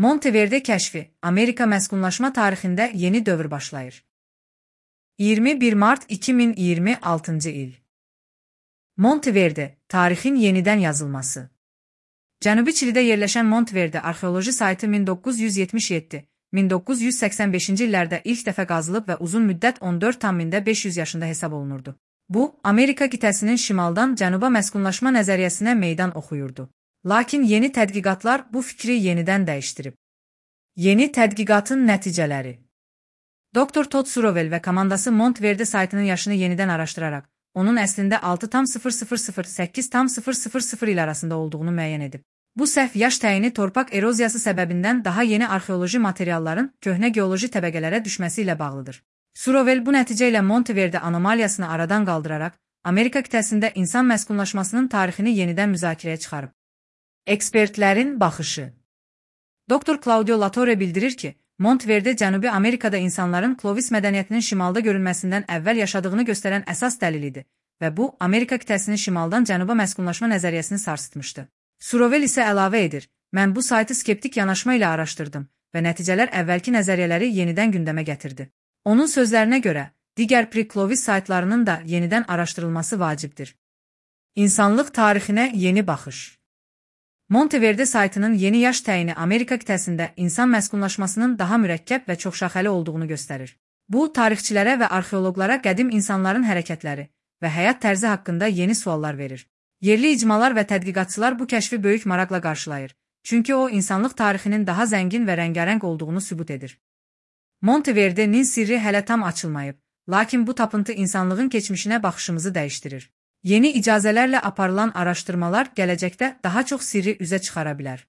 Monteverde kəşfi, Amerika məskunlaşma tarixində yeni dövr başlayır. 21 mart 2026-cı il. Monteverde, tarixin yenidən yazılması. Cənubi Çilidə yerləşən Monteverde arxeoloji saytı 1977-1985-ci illərdə ilk dəfə qazılıb və uzun müddət 14,500 yaşında hesab olunurdu. Bu, Amerika qitəsinin şimaldan cənuba məskunlaşma nəzəriyyəsinə meydan oxuyurdu. Lakin yeni tədqiqatlar bu fikri yenidən dəyişdirib. Yeni tədqiqatın nəticələri. Dr. Todd Surovell və komandası Monteverde saytının yaşını yenidən araşdıraraq, onun əslində 6,0008,000 il arasında olduğunu müəyyən edib. Bu səhv yaş təyini torpaq eroziyası səbəbindən daha yeni arxeoloji materialların köhnə geoloji təbəqələrə düşməsi ilə bağlıdır. Surovell bu nəticə ilə Monteverde anomaliyasını aradan qaldıraraq, Amerika qitəsində insan məskunlaşmasının tarixini yenidən müzakirəyə çıxarıb. Ekspertlərin baxışı. Dr. Claudio Latore bildirir ki, Monteverde Cənubi Amerikada insanların Clovis mədəniyyətinin şimalda görünməsindən əvvəl yaşadığını göstərən əsas dəlilidir və bu, Amerika qitəsinin şimaldan cənuba məskunlaşma nəzəriyyəsini sarsıtmışdı. Surovell isə əlavə edir, mən bu saytı skeptik yanaşma ilə araşdırdım və nəticələr əvvəlki nəzəriyyələri yenidən gündəmə gətirdi. Onun sözlərinə görə, digər pre-Clovis saytlarının da yenidən araşdırılması vacibdir. İnsanlıq tarixinə yeni baxış. Monteverde saytının yeni yaş təyini Amerika qitəsində insan məskunlaşmasının daha mürəkkəb və çoxşaxəli olduğunu göstərir. Bu, tarixçilərə və arxeoloqlara qədim insanların hərəkətləri və həyat tərzi haqqında yeni suallar verir. Yerli icmalar və tədqiqatçılar bu kəşfi böyük maraqla qarşılayır, çünki o, insanlıq tarixinin daha zəngin və rəngarəng olduğunu sübut edir. Monteverde'nin sirri hələ tam açılmayıb, lakin bu tapıntı insanlığın keçmişinə baxışımızı dəyişdirir. Yeni icazələrlə aparılan araşdırmalar gələcəkdə daha çox sirri üzə çıxara bilər.